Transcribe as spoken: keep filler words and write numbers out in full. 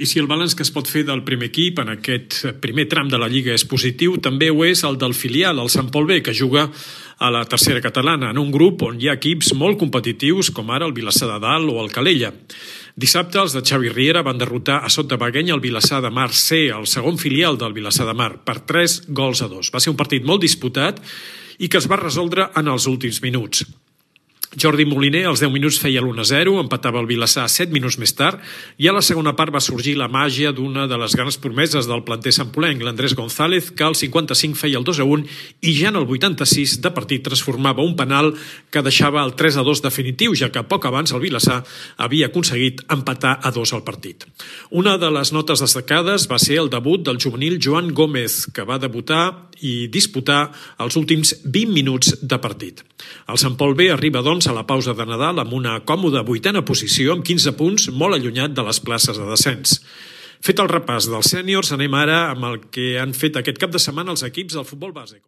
I si el balanç que es pot fer del primer equip en aquest primer tram de la Lliga és positiu, també ho és el del filial, el Sant Pol B, que juga a la tercera catalana, en un grup on hi ha equips molt competitius, com ara el Vilassar de Dalt o el Calella. Dissabte, els de Xavi Riera van derrotar a Sot de Bagueny el Vilassar de Mar C, el segon filial del Vilassar de Mar, per tres gols a dos. Va ser un partit molt disputat i que es va resoldre en els últims minuts. Jordi Moliner als deu minuts feia l'u a zero, empatava el Vilassar set minuts més tard i a la segona part va sorgir la màgia d'una de les grans promeses del planter santpolenc, l'Andrés González, que al cinquanta-cinc feia el dos a un i ja en el vuitanta-sis de partit transformava un penal que deixava el tres a dos definitiu, ja que poc abans el Vilassar havia aconseguit empatar a dos al partit. Una de les notes destacades va ser el debut del juvenil Joan Gómez, que va debutar i disputar els últims vint minuts de partit. El Sant Pol B arriba, doncs, a la pausa de Nadal amb una còmoda vuitena posició amb quinze punts, molt allunyat de les places de descens. Fet el repàs dels sèniors, anem ara amb el que han fet aquest cap de setmana els equips del futbol base.